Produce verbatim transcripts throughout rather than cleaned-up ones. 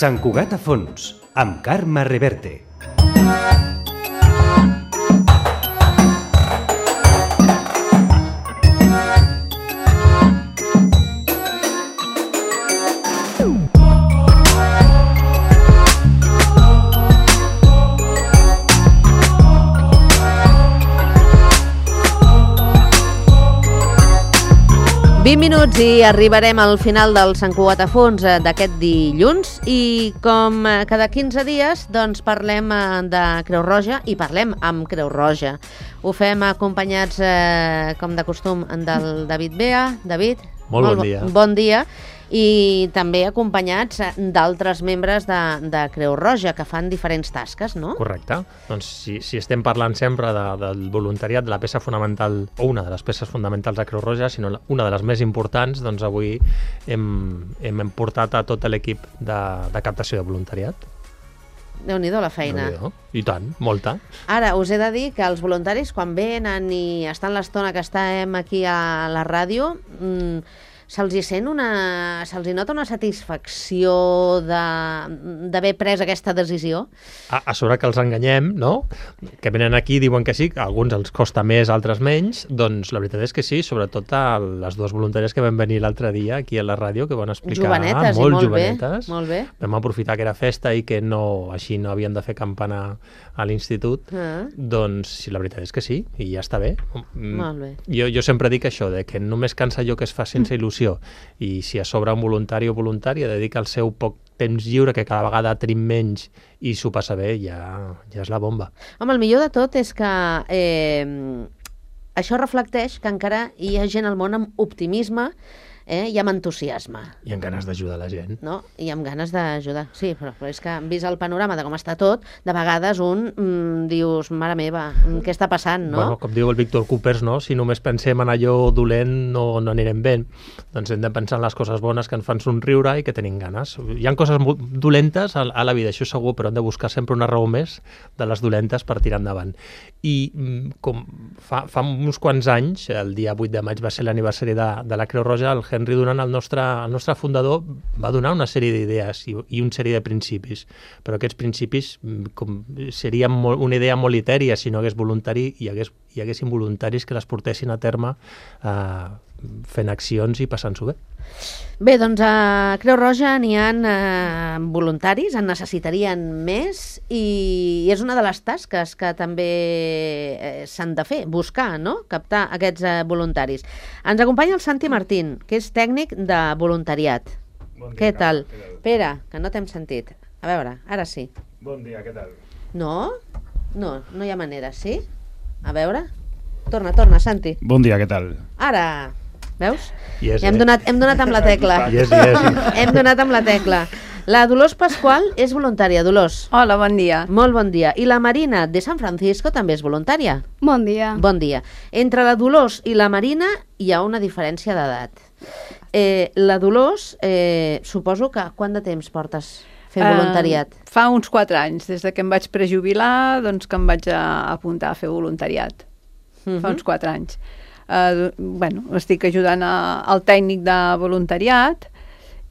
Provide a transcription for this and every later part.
Sant Cugat a fons, amb Carme Reverte. vint minuts i arribarem al final del Sant Cugat a fons d'aquest dilluns i com cada quinze dies doncs parlem de Creu Roja i parlem amb Creu Roja. Ho fem acompanyats, eh, com de costum, del David Bea. David, molt, molt bon dia. Bon dia. I també acompanyats d'altres membres de, de Creu Roja que fan diferents tasques, no? Correcte. Doncs si, si estem parlant sempre de, del voluntariat, de la peça fonamental, o una de les peces fonamentals de Creu Roja, sinó una de les més importants, doncs avui hem, hem portat a tot l'equip de, de captació de voluntariat. Déu-n'hi-do la feina. Déu-n'hi-do. I tant, molta. Ara, us he de dir que els voluntaris, quan venen i estan l'estona que estem aquí a la ràdio, mmm, se'ls hi sent una... se'ls hi nota una satisfacció d'haver pres aquesta decisió? A, a sobre que els enganyem, no? Que venen aquí i diuen que sí, que a alguns els costa més, altres menys, doncs la veritat és que sí, sobretot a les dues voluntàries que van venir l'altre dia aquí a la ràdio, que van explicar... Jovenetes, molt, i molt jovenetes. bé, molt bé. Vam aprofitar que era festa i que no, així no havien de fer campana a l'institut, ah. doncs sí, la veritat és que sí, i ja està bé. Molt bé. Jo, jo sempre dic això, de que només cansa allò que es fa sense il·lusió, i si a sobre un voluntari o voluntària dedica el seu poc temps lliure, que cada vegada trim menys i s'ho passa bé, ja, ja és la bomba. Home, el millor de tot és que eh, això reflecteix que encara hi ha gent al món amb optimisme, eh, i amb entusiasme. I amb ganes d'ajudar la gent. No? I amb ganes d'ajudar. Sí, però, però és que vist el panorama de com està tot, de vegades un mm, dius, mare meva, què està passant, no? Bueno, com diu el Víctor Coopers, no? Si només pensem en allò dolent no, no anirem bé. Doncs hem de pensar en les coses bones que ens fan somriure i que tenim ganes. Hi ha coses dolentes a, a la vida, això segur, però hem de buscar sempre una raó més de les dolentes per tirar endavant. I com fa, fa uns quants anys, el dia vuit de maig va ser l'aniversari de, de la Creu Roja, el Henry Dunant, el nostre, el nostre fundador, va donar una sèrie d'idees i, i una sèrie de principis, però aquests principis com, serien molt, una idea molt etèria si no hagués voluntari i hagués, hi haguessin voluntaris que les portessin a terme eh, fent accions i passant-s'ho bé. Bé, doncs a Creu Roja n'hi ha eh, voluntaris, en necessitarien més i és una de les tasques que també eh, s'han de fer, buscar, no? Captar aquests eh, voluntaris. Ens acompanya el Santi Martín, que és tècnic de voluntariat. Bon dia, què tal? què tal? Pere, que no t'hem sentit. A veure, ara sí. Bon dia, què tal? No? No, no hi ha manera, sí? A veure? Torna, torna, Santi. Bon dia, què tal? Ara... Veus? Yes, hem, donat, hem donat amb la tecla. Yes, yes. Hem donat amb la tecla. La Dolors Pasqual és voluntària. Dolors. Hola, bon dia. Molt bon dia. I la Marina de San Francisco també és voluntària. Bon dia. Bon dia. Entre la Dolors i la Marina hi ha una diferència d'edat. Eh, la Dolors, eh, suposo que quant de temps portes fent voluntariat? Uh, fa uns quatre anys, des de que em vaig prejubilar, doncs que em vaig a apuntar a fer voluntariat. Uh-huh. Fa uns quatre anys. Uh, bueno, estic ajudant a, al tècnic de voluntariat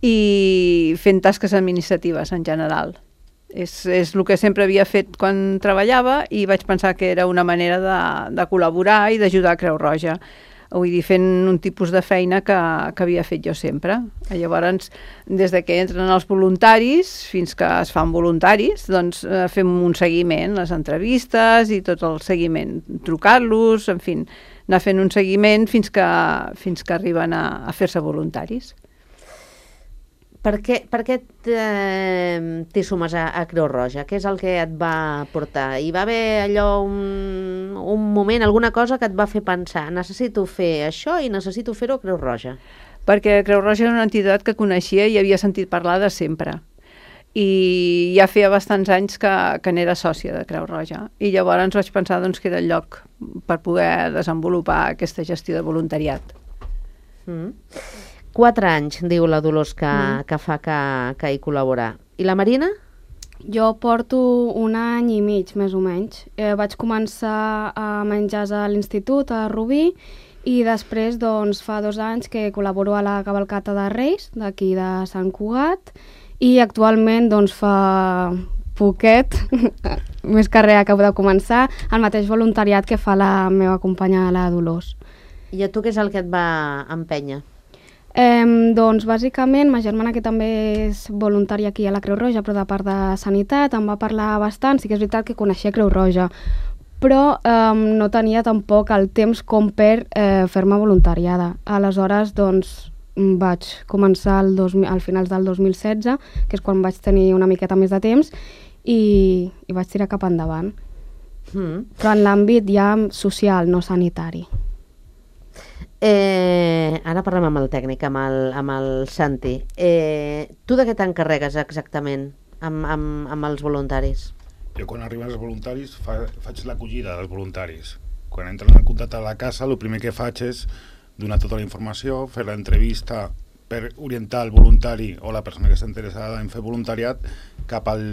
i fent tasques administratives en general. És, és el que sempre havia fet quan treballava i vaig pensar que era una manera de, de col·laborar i d'ajudar a Creu Roja. Vull dir, fent un tipus de feina que, que havia fet jo sempre. Llavors, des de que entren els voluntaris fins que es fan voluntaris, doncs eh, fem un seguiment, les entrevistes i tot el seguiment, trucar-los, en fi, anar fent un seguiment fins que, fins que arriben a, a fer-se voluntaris. Per què, per què t'hi sumes a, a Creu Roja? Què és el que et va portar? Hi va haver allò un, un moment, alguna cosa que et va fer pensar necessito fer això i necessito fer-ho a Creu Roja? Perquè Creu Roja era una entitat que coneixia i havia sentit parlar de sempre. I ja feia bastants anys que, que n'era sòcia de Creu Roja. I llavors vaig pensar doncs, que era el lloc per poder desenvolupar aquesta gestió de voluntariat. Mm. Quatre anys, diu la Dolors, que, mm. que fa que, que hi col·labora. I la Marina? Jo porto un any i mig, més o menys. Eh, vaig començar a menjar a l'institut, a Rubí, i després doncs, fa dos anys que col·laboro a la cavalcata de Reis, d'aquí de Sant Cugat, i actualment doncs, fa poquet, més carrera que de començar, el mateix voluntariat que fa la meva companya, la Dolors. I a tu què és el que et va empènyer? Eh, doncs, bàsicament, ma germana, que també és voluntària aquí a la Creu Roja, però de part de Sanitat, em va parlar bastant. Sí que és veritat que coneixia Creu Roja, però eh, no tenia tampoc el temps com per eh, fer-me voluntariada. Aleshores, doncs, vaig començar al, dos, al finals del dos mil setze, que és quan vaig tenir una miqueta més de temps, i, i vaig tirar cap endavant. Mm. Però en l'àmbit ja social, no sanitari. Eh, ara parlem amb el tècnic, amb el, amb el Santi. Eh, tu de què t'encarregues exactament amb, amb, amb els voluntaris? Jo quan arriben els voluntaris fa, faig l'acollida dels voluntaris. Quan entren en contacte a la casa, el primer que faig és donar tota la informació, fer l'entrevista per orientar el voluntari o la persona que està interessada en fer voluntariat cap al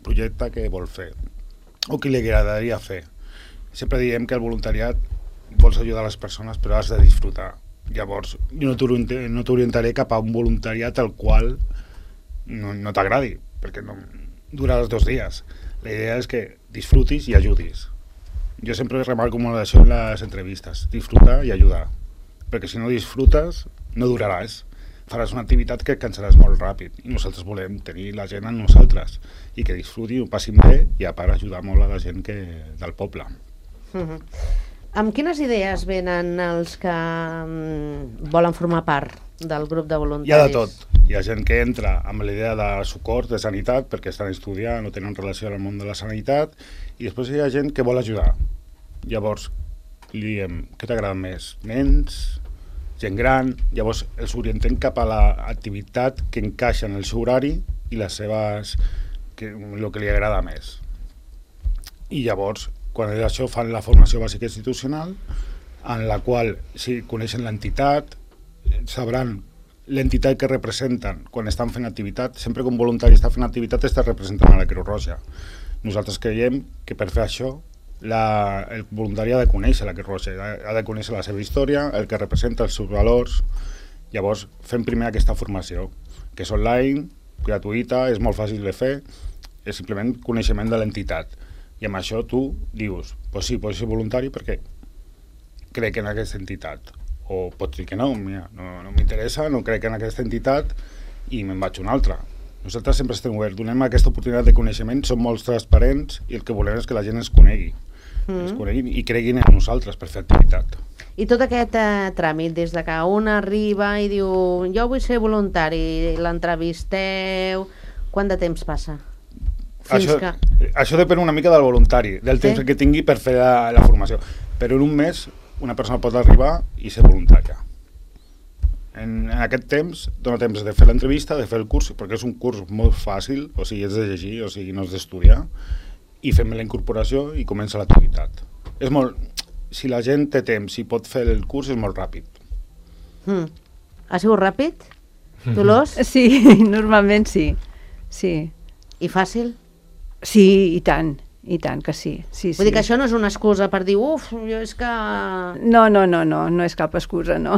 projecte que vol fer o que li agradaria fer. Sempre diem que el voluntariat vols ajudar les persones però has de disfrutar. Llavors, jo no t'orientaré cap a un voluntariat al qual no, no t'agradi, perquè no dura els dos dies. La idea és que disfrutis i ajudis. Jo sempre remarco molt això en les entrevistes, disfrutar i ajudar, perquè si no disfrutes no duraràs. Faràs una activitat que et cansaràs molt ràpid i nosaltres volem tenir la gent en nosaltres i que disfruti, ho passin bé i a part ajudar molt a la gent que, del poble. Uh-huh. Amb quines idees venen els que um, volen formar part del grup de voluntaris? Hi ha de tot. Hi ha gent que entra amb la idea de socors, de sanitat, perquè estan estudiant o tenen relació amb el món de la sanitat, i després hi ha gent que vol ajudar. Llavors, li diem, què t'agrada més? Nens? Gent gran? Llavors els orientem cap a l'activitat que encaixa en el seu horari i les seves, que, el que li agrada més. I llavors, quan és això, fan la formació bàsica institucional, en la qual, si coneixen l'entitat, sabran l'entitat que representen quan estan fent activitat. Sempre que un voluntari està fent activitat està representant a la Creu Roja. Nosaltres creiem que per fer això la, el voluntari ha de conèixer la Creu Roja, ha de conèixer la seva història, el que representa, els seus valors. Llavors fem primer aquesta formació, que és online, gratuïta, és molt fàcil de fer, és simplement coneixement de l'entitat. I amb això tu dius, pues sí, pots ser voluntari perquè crec en aquesta entitat. O pots dir que no, mira, no, no m'interessa, no crec en aquesta entitat i me'n vaig a una altra. Nosaltres sempre estem oberts, donem aquesta oportunitat de coneixement, som molt transparents i el que volem és que la gent ens conegui, mm. ens coneguin i creguin en nosaltres per fer activitat. I tot aquest eh, tràmit, des de que un arriba i diu jo vull ser voluntari, l'entrevisteu, quant de temps passa? Fins això, que... això depèn una mica del voluntari, del temps sí? que tingui per fer la, la formació, però en un mes una persona pot arribar i ser voluntària. En, en aquest temps dona temps de fer l'entrevista, de fer el curs, perquè és un curs molt fàcil, o sigui, és de llegir, o sigui, no és d'estudiar, i fem la incorporació i comença l'activitat. És molt... Si la gent té temps i pot fer el curs, és molt ràpid. Mm. Ha sigut ràpid, Dolors? Sí, normalment sí. sí. I fàcil? Sí, i tant. I tant que sí. sí Vull sí. dir que això no és una excusa per dir uf, jo és que... No, no, no, no, no és cap excusa, no.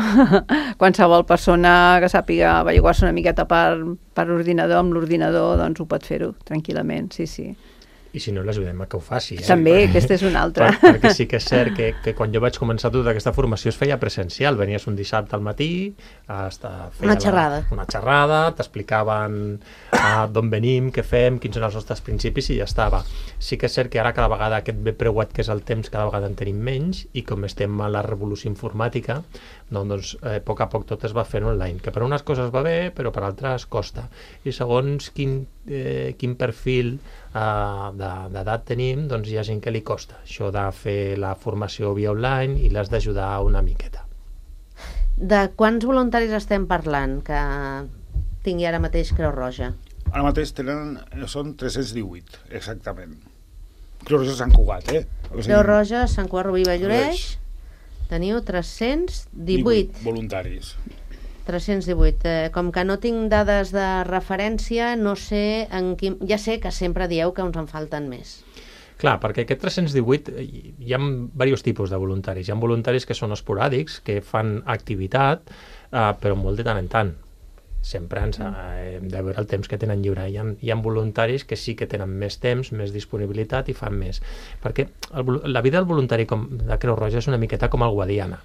Qualsevol persona que sàpiga averiguar-se una miqueta per, per ordinador, amb l'ordinador, doncs ho pot fer-ho tranquil·lament, sí, sí. I si no, l'ajudem a que ho faci. Eh? També, per... aquesta és una altra. Per, perquè sí que és cert que, que quan jo vaig començar tota aquesta formació es feia presencial. Venies un dissabte al matí, hasta feia una xerrada. La, una xerrada, t'explicaven uh, d'on venim, què fem, quins són els nostres principis i ja estava. Sí que és cert que ara cada vegada aquest bé preuat que és el temps, cada vegada en tenim menys i com estem a la revolució informàtica, doncs eh, a poc a poc tot es va fent online, que per unes coses va bé, però per altres costa. I segons quin, eh, quin perfil Uh, d'edat tenim, doncs hi ha gent que li costa això de fer la formació via online i l'has d'ajudar una miqueta. De quants voluntaris estem parlant que tingui ara mateix Creu Roja? Ara mateix tenen, són tres-cents divuit, exactament. Creu Roja Sant Cugat, eh? O sigui, Creu Roja, Sant Cugat, Rubí, Valloreix, teniu tres-cents divuit voluntaris. tres-cents divuit. Eh, com que no tinc dades de referència, no sé en quin... Ja sé que sempre dieu que uns en falten més. Clar, perquè aquest tres-cents divuit hi ha diversos tipus de voluntaris. Hi ha voluntaris que són esporàdics, que fan activitat, eh, però molt de tant en tant. sempre ens eh, hem de veure el temps que tenen lliure. Hi ha, hi ha voluntaris que sí que tenen més temps, més disponibilitat i fan més. Perquè el, la vida del voluntari com, de Creu Roja és una miqueta com el Guadiana.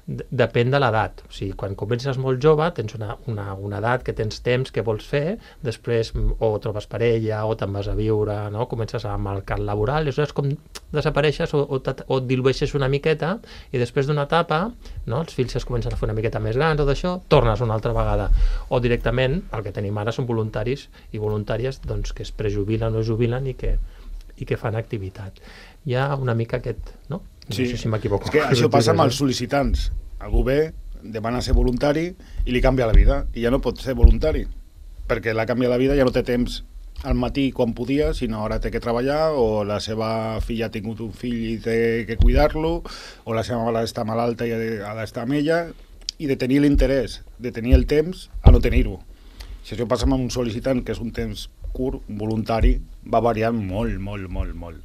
Depèn de l'edat. O sigui, quan comences molt jove tens una, una, una edat que tens temps que vols fer, després o trobes parella o te'n vas a viure, no? Comences amb el mercat laboral, i és com desapareixes o, o, o et dilueixes una miqueta i després d'una etapa, no? Els fills es comencen a fer una miqueta més grans o d'això, tornes una altra vegada. O directament, el que tenim ara són voluntaris i voluntàries doncs, que es prejubilen o jubilen i que, i que fan activitat. Hi ha una mica aquest... No? No Sí, sé si m'equivoco. és que això passa amb els sol·licitants. Algú ve, demana ser voluntari i li canvia la vida, i ja no pot ser voluntari, perquè la canvia la vida, ja no té temps al matí quan podia, sinó ara té que treballar, o la seva filla ha tingut un fill i té que cuidar-lo, o la seva mare està malalta i ha d'estar amb ella, i de tenir l'interès, de tenir el temps, a no tenir-ho. Si això passa amb un sol·licitant, que és un temps curt, un voluntari, va variant molt, molt, molt, molt.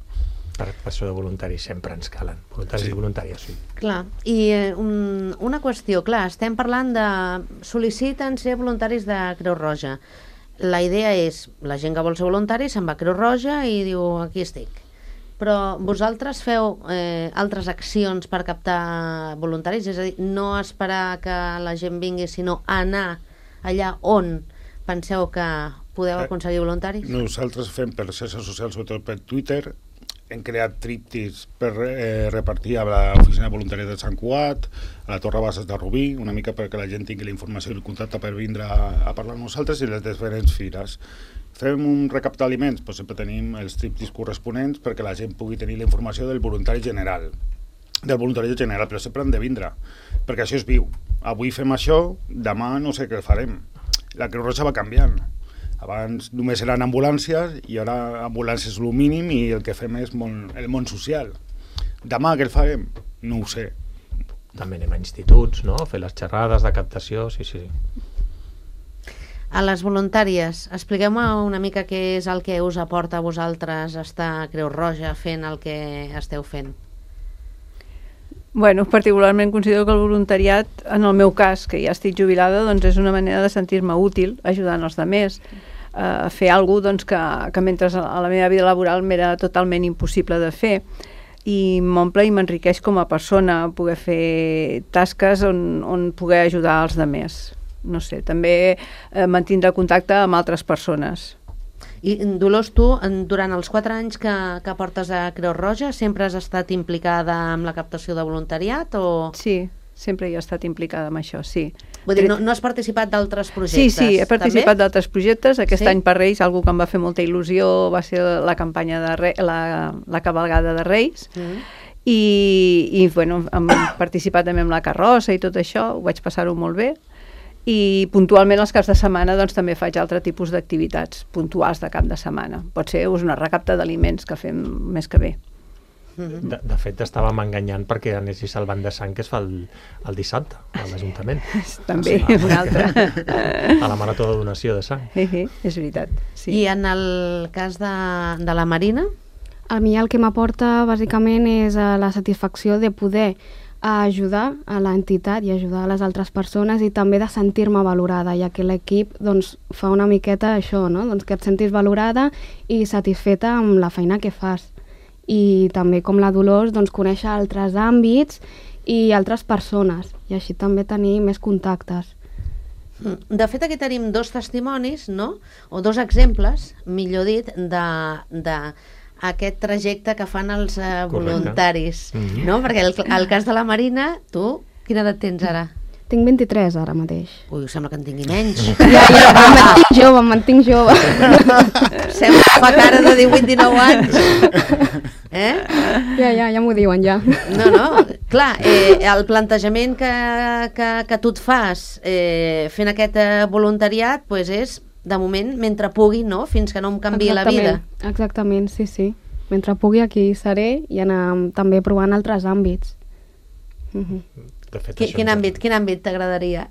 Per això de voluntaris sempre ens calen. Voluntaris Sí. i voluntàries, sí. Clar, i eh, un, una qüestió, clar, estem parlant de... sol·liciten ser voluntaris de Creu Roja. La idea és, la gent que vol ser voluntari se'n va a Creu Roja i diu, aquí estic. Però vosaltres feu eh, altres accions per captar voluntaris? És a dir, no esperar que la gent vingui, sinó anar allà on penseu que podeu aconseguir voluntaris? Nosaltres fem per xarxes socials, sobretot per Twitter, hem creat tríptics per eh, repartir a l'oficina de voluntariat de Sant Cugat, a la Torre Bases de Rubí, una mica perquè la gent tingui la informació i el contacte per vindre a, a parlar amb nosaltres, i les diferents fires. Fem un recaptar aliments, doncs sempre tenim els tríptics corresponents perquè la gent pugui tenir la informació del voluntari general, del voluntari general, però sempre han de vindre, perquè això és viu. Avui fem això, demà no sé què farem. La Creu Roja va canviant. Abans només eren ambulàncies i ara ambulàncies és el mínim i el que fem és món, el món social. Demà què el farem? No ho sé. També anem a instituts, no? Fer les xerrades de captació, sí, sí. A les voluntàries, expliqueu-me una mica què és el que us aporta a vosaltres estar a Creu Roja fent el que esteu fent. Bueno, particularment considero que el voluntariat, en el meu cas, que ja estic jubilada, doncs és una manera de sentir-me útil, ajudant els altres, a eh, fer alguna cosa doncs, que, que mentre a la meva vida laboral m'era totalment impossible de fer. I m'omple i m'enriqueix com a persona poder fer tasques on, on poder ajudar els altres. No sé, també eh, mantindre contacte amb altres persones. I Dolors, tu, en, durant els quatre anys que, que portes a Creu Roja, sempre has estat implicada amb la captació de voluntariat o...? Sí, sempre hi he estat implicada amb això, sí. Vull dir, no, no has participat d'altres projectes? Sí, sí, he participat d'altres projectes. Aquest sí? any per Reis, algú que em va fer molta il·lusió va ser la campanya de Re... la, la cabalgada de Reis. Mm. I, i bueno, hem participat també amb la carrossa i tot això, ho vaig passar-ho molt bé. I puntualment els caps de setmana doncs, també faig altre tipus d'activitats puntuals de cap de setmana. Pot ser una recapta d'aliments que fem més que bé. De, de fet, estàvem enganyant perquè anessis al banc de sang que es fa el, el dissabte a l'Ajuntament. També, o sigui, una altra. A la marató de donació de sang. Sí, sí, és veritat. Sí. I en el cas de, de la Marina? A mi el que m'aporta bàsicament és eh, la satisfacció de poder a ajudar a l'entitat i ajudar a les altres persones i també de sentir-me valorada, ja que l'equip doncs, fa una miqueta això, no? Doncs que et sentis valorada i satisfeta amb la feina que fas. I també com la Dolors, doncs, conèixer altres àmbits i altres persones, i així també tenir més contactes. De fet, aquí tenim dos testimonis, no? O dos exemples, millor dit, de... de aquest trajecte que fan els uh, voluntaris, mm-hmm. no? Perquè el, el cas de la Marina, tu, quina edat tens ara? Tinc vint-i-tres ara mateix. Ui, sembla que en tingui menys. Ja, ja, em mantinc jove, em mantinc jove. Sembla que fa cara de divuit dinou anys. Eh? Ja, ja, ja m'ho diuen, ja. No, no, clar, eh, el plantejament que, que, que tu et fas eh, fent aquest eh, voluntariat, pues és de moment, mentre pugui, no? Fins que no em canviï la vida. Exactament, sí, sí. Mentre pugui aquí seré i anar també provant altres àmbits. Uh-huh. De fet, Qu quin, àmbit, quin àmbit t'agradaria?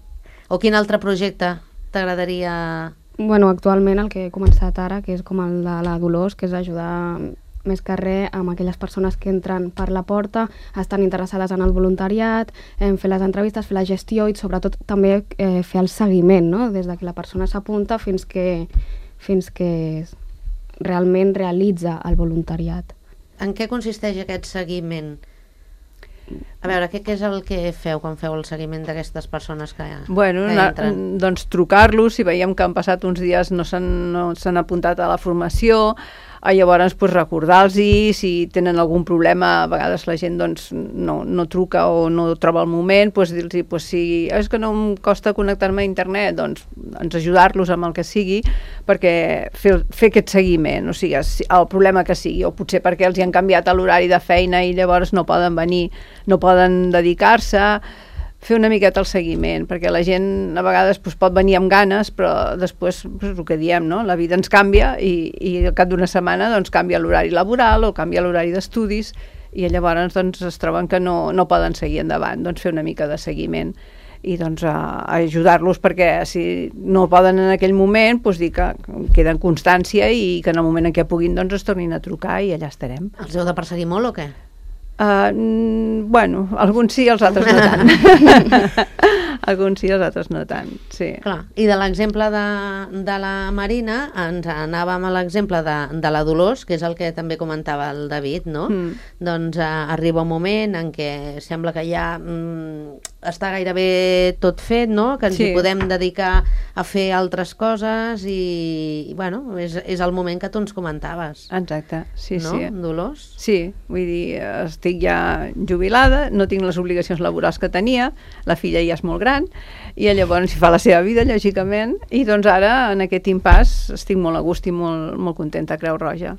O quin altre projecte t'agradaria? Bueno, actualment el que he començat ara, que és com el de la Dolors, que és ajudar més que res amb aquelles persones que entren per la porta, estan interessades en el voluntariat, en fer les entrevistes, fer la gestió i sobretot també eh, fer el seguiment, no? Des de que la persona s'apunta fins que, fins que realment realitza el voluntariat. En què consisteix aquest seguiment? A veure, què, què és el que feu quan feu el seguiment d'aquestes persones que, bueno, que entren? Na, doncs trucar-los, si veiem que han passat uns dies no s'han no s'han apuntat a la formació, a llavors pues, recordar-los si tenen algun problema, a vegades la gent doncs, no, no truca o no troba el moment, pues, dir-los pues, si és que no em costa connectar-me a internet, doncs ens ajudar-los amb el que sigui perquè fer, fer aquest seguiment, o sigui, el problema que sigui, o potser perquè els hi han canviat l'horari de feina i llavors no poden venir, no poden dedicar-se, fer una miqueta el seguiment, perquè la gent a vegades pues, pot venir amb ganes, però després, pues, el que diem, no? La vida ens canvia i, i al cap d'una setmana doncs, canvia l'horari laboral o canvia l'horari d'estudis i llavors doncs, es troben que no, no poden seguir endavant, doncs fer una mica de seguiment i doncs, a, a ajudar-los perquè si no poden en aquell moment doncs, dir que queda en constància i que en el moment en què puguin doncs, es tornin a trucar i allà estarem. Els heu de perseguir molt o què? Uh, bueno, alguns sí, els altres no tant. Alguns sí, els altres no tant, sí. Clar. I de l'exemple de, de la Marina, ens anàvem a l'exemple de, de la Dolors, que és el que també comentava el David, no? Mm. Doncs uh, arriba un moment en què sembla que ja mm, està gairebé tot fet, no? Que ens sí. hi podem dedicar a fer altres coses i, i bueno, és, és el moment que tu ens comentaves. Exacte, sí, no? sí. Dolors? Sí, vull dir, estic ja jubilada, no tinc les obligacions laborals que tenia, la filla ja és molt gran, i llavors hi fa la seva vida, lògicament, i doncs ara, en aquest impàs, estic molt a gust i molt, molt contenta a Creu Roja.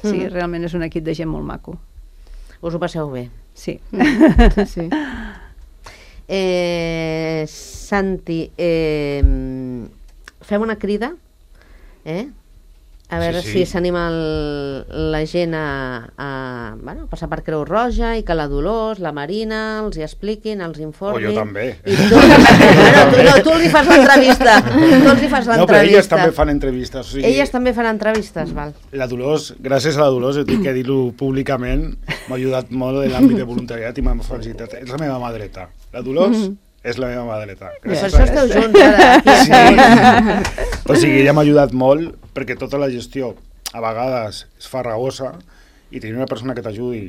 Sí, mm. realment és un equip de gent molt maco. Us ho passeu bé? Sí. Mm. sí, sí. Eh, Santi, eh, fem una crida, eh? A veure sí, sí. si s'anima la gent a, a, bueno, a passar per Creu Roja i que la Dolors, la Marina els hi expliquin, els informin. O jo també. I tu, bueno, tu, no, tu els hi fas l'entrevista. Tu els hi fas l'entrevista. No, però elles també fan entrevistes. O sigui, elles també fan entrevistes, val. La Dolors, gràcies a la Dolors, he dit que dir-ho públicament, m'ha ajudat molt en l'àmbit de voluntariat i m'ha felicitat. És la meva mà dreta. La Dolors... Mm-hmm. És la meva mà dreta. Per això esteu junts ara. Sí. O sigui, ella m'ha ajudat molt perquè tota la gestió a vegades és farragosa i tenir una persona que t'ajudi,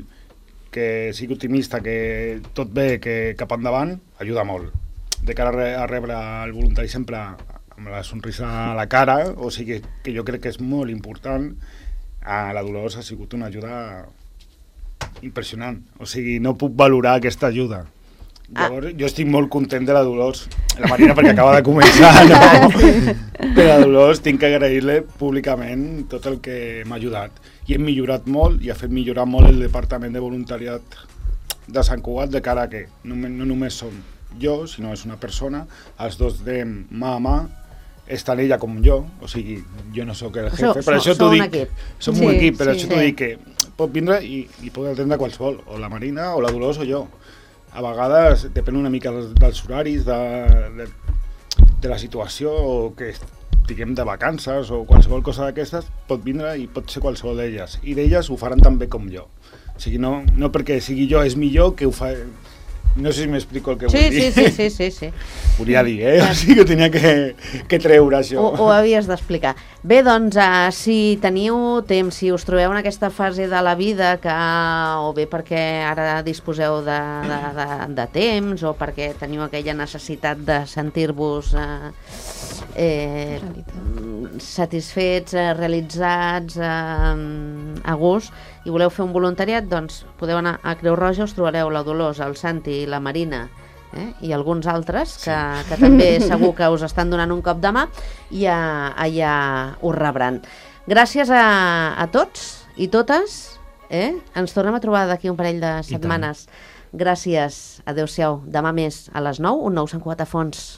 que sigui optimista, que tot bé, que cap endavant, ajuda molt. De cara a, re a rebre el voluntari sempre amb la sonrisa a la cara, o sigui que jo crec que és molt important. A la Dolors ha sigut una ajuda impressionant. O sigui, no puc valorar aquesta ajuda. Llavors, ah. jo estic molt content de la Dolors, la Marina perquè acaba de començar, no? Però la Dolors tinc que agrair-li públicament tot el que m'ha ajudat. I hem millorat molt i ha fet millorar molt el departament de voluntariat de Sant Cugat de cara a que no, no només som jo, sinó és una persona, els dos de mà a mà, és tant ella com jo, o sigui, jo no sóc el jefe, so, per això t'ho dic, som sí, un equip, per sí, això t'ho sí. dic que pot vindre i, i pot atendre qualsevol, o la Marina, o la Dolors, o jo. A vegades depèn una mica dels horaris, de, de, de la situació, o que estiguem de vacances, o qualsevol cosa d'aquestes, pot vindre i pot ser qualsevol d'elles. I d'elles ho faran tan bé com jo. O sigui, no, no perquè sigui jo és millor que ho fa... No sé si m'explico el que sí, vull dir. Sí, sí, sí, sí. Volia dir, eh? O sigui que tenia que, que treure això. Ho, ho havies d'explicar. Bé, doncs, uh, si teniu temps, si us trobeu en aquesta fase de la vida que, o bé perquè ara disposeu de, de, de, de temps, o perquè teniu aquella necessitat de sentir-vos uh, eh, satisfets, uh, realitzats, uh, a gust, i voleu fer un voluntariat, doncs podeu anar a Creu Roja, us trobareu la Dolors, el Santi, la Marina, eh? i alguns altres que, sí. que també segur que us estan donant un cop de mà i a, allà us rebran. Gràcies a, a tots i totes, eh? Ens tornem a trobar d'aquí un parell de setmanes. Gràcies, adeu-siau. Demà més a les nou, un nou Sant Cugat a fons.